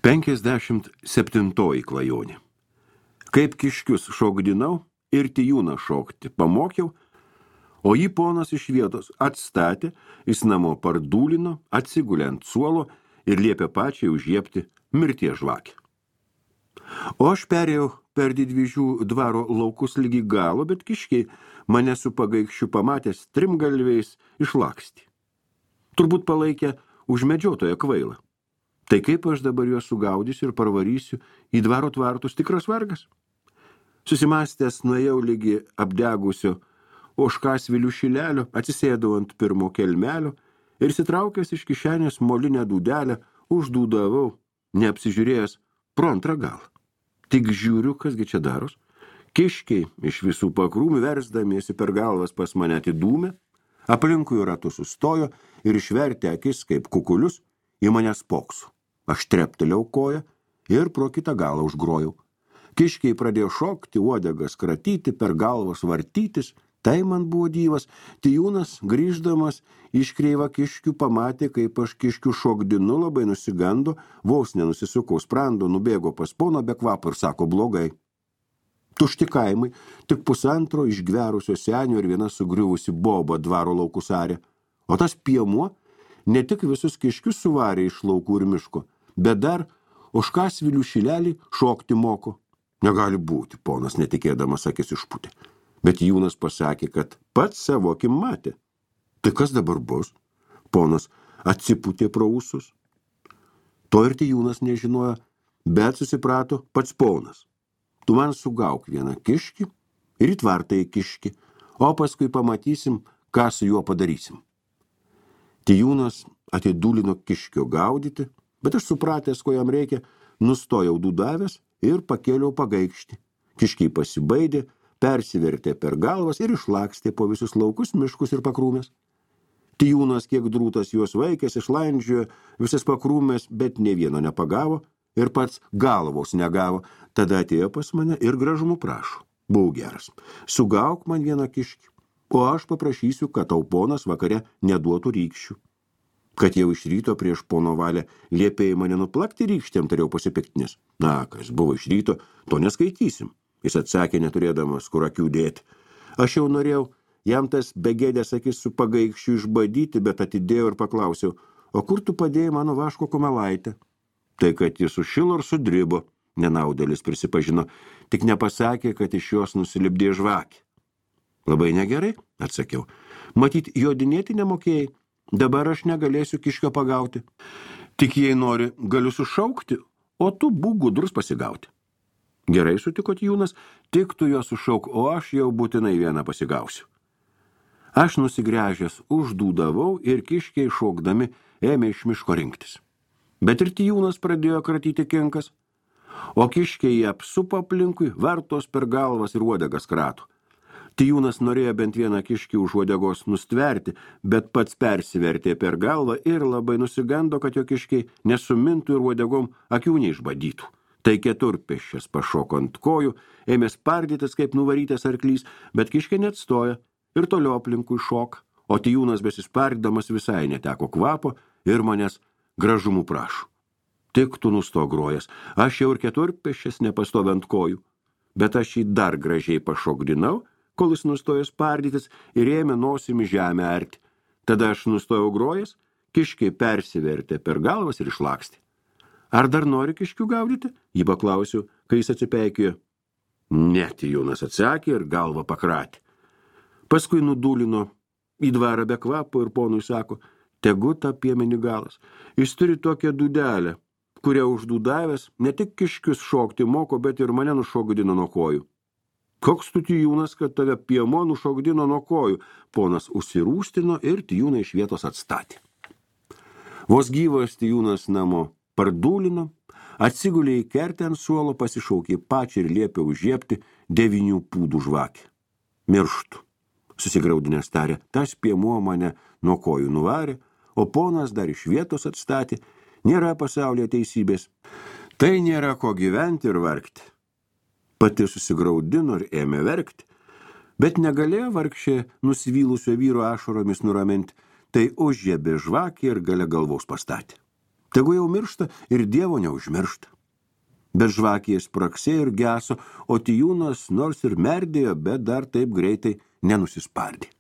57 klajonė. Kaip kiškius šokdinau ir tijūną šokti pamokiau, o jį ponas iš vietos atstatė, jis namo pardūlino, atsigulė ant suolo ir liepė pačiai užžiepti mirties žvakę. O aš perėjau per Didvyžių dvaro laukus lygi galo, bet kiškiai mane su pagaikščiu pamatęs trimgalviais išlakstė. Turbūt palaikė už medžiotoją kvailą. Tai kaip aš dabar juos sugaudysiu ir parvarysiu į dvaro tvartus, tikras vargas? Susimąstęs nuėjau lygi apdegusio ožkasvilių šilelio, atsisėdau ant pirmo kelmelio ir sitraukęs iš kišenės molinę dūdelę uždūdavau, neapsižiūrėjęs pro antrą galą. Tik žiūriu, kasgi čia daros. Kiškiai iš visų pakrūmių versdamiesi per galvas pas mane atidūmė, aplinkui ratu sustojo ir išvertė akis kaip kukulius į mane spoksu. Aš treptelėjau koją ir pro kitą galą užgrojau. Kiškiai pradėjo šokti, uodegas kratyti, per galvas vartytis. Tai man buvo dyvas. Tijūnas, grįždamas iš kreivą kiškių, pamatė, kaip aš kiškių šokdinu, labai nusigando, vos nenusisukau sprando, nubėgo pas poną be kvapo ir sako blogai. Tušti kaimai, tik pusantro išgverusio senio ir viena sugriuvusi boba dvaro laukus arė. O tas piemuo ne tik visus kiškius suvarė iš laukų ir miško, bet dar ožkasvilių šilelį šokti moko. Negali būti, ponas netikėdamas akis išputė. Bet Jūnas pasakė, kad pats savo akim matė. Tai kas dabar bus? Ponas atsiputė pro ūsus. To ir Tijūnas nežinojo, bet susiprato pats ponas. Tu man sugauk vieną kiškį ir į tvartą įkiškį, o paskui pamatysim, ką su juo padarysim. Tijūnas atidūlino kiškio gaudyti, bet aš supratęs, ko jam reikia, nustojau dūdavęs ir pakėliau pagaikštį. Kiškiai pasibaidė, persivertė per galvas ir išlakstė po visus laukus, miškus ir pakrūmės. Tijūnas, kiek drūtas juos vaikęs, išlandžiojo visas pakrūmės, bet nė vieno nepagavo ir pats galvos negavo. Tada atėjo pas mane ir gražumų prašo. Buvau geras. Sugauk man vieną kiškį, o aš paprašysiu, kad tau ponas vakare neduotų rykščių. Kad jau iš ryto prieš pono valią liepėjai mane nuplakti rykštėm, tariau pasipiktinis. Na, kas buvo iš ryto, to neskaitysim. Jis atsakė, neturėdamas kur akių dėti. Aš jau norėjau jam tas begėdės akis su pagaikščiu išbadyti, bet atidėjau ir paklausiau, o kur tu padėjai mano vaško kumelaitę? Tai, kad jis sušilo ir sudribo, nenaudėlis prisipažino, tik nepasakė, kad iš jos nusilipdė žvakė. Labai negerai, atsakiau. Matyt, jodinėti nemokėjai. Dabar aš negalėsiu kiškio pagauti. Tik jei nori, galiu sušaukti, o tu būk gudrus pasigauti. Gerai, sutiko Tijūnas, tik tu jo sušauk, o aš jau būtinai vieną pasigausiu. Aš nusigręžęs uždūdavau ir kiškiai šokdami ėmė iš miško rinktis. Bet ir Tijūnas pradėjo kratyti kinkas, o kiškiai jį apsupo aplinkui, vartos per galvas ir uodegas krato. Tijūnas norėjo bent vieną kiškį už uodegos nustverti, bet pats persivertė per galvą ir labai nusigando, kad jo kiškiai nesumintų ir uodegom akių neišbadytų. Tai keturpėsčias pašoko ant kojų, ėmė spardytis kaip nuvarytas arklys, bet kiškė neatstoja ir toliau aplinkui šok, o Tijūnas besispardydamas visai neteko kvapo ir manęs gražumų prašo. Tik tu nusto grojęs, aš jau ir keturpėsčias nepastoviu ant kojų, bet aš jį dar gražiai pašokdinau, kol jis nustojo spardytis ir ėmė nosimi žemę arti. Tada aš nustojau grojęs, kiškiai persivertė per galvas ir išlakstė. Ar dar nori kiškių gaudyti? Jį paklausiu, kai jis atsipeikėjo. Ne, Tijūnas atsakė ir galvą pakratė. Paskui nudūlino į dvarą be kvapo ir ponui sako, tegu tą piemenį galas. Jis turi tokią dūdelę, kurią uždūdavęs ne tik kiškius šokti moko, bet ir mane nušokdino nuo kojų. Koks tu Tijūnas, kad tave piemo nušokdino nuo kojų? Ponas užsirūstino ir Tijūną iš vietos atstatė. Vos gyvas Tijūnas namo pardūlino, atsigulė į kertę ant suolo, pasišaukė pačią ir liepė užžiepti 9 pūdų žvakę. Mirštu, susigraudinęs tarė, tas piemo mane nuo kojų nuvarė, o ponas dar iš vietos atstatė, nėra pasaulyje teisybės. Tai nėra ko gyventi ir vargti. Pati susigraudino ir ėmė verkti, bet negalėjo vargšė nusivylusio vyro ašaromis nuraminti, tai užžiebė žvakę ir gale galvos pastatė. Tegu jau miršta ir Dievo neužmiršta. Bet žvakėje spraksėjo ir geso, o Tijūnas nors ir merdėjo, bet dar taip greitai nenusispardė.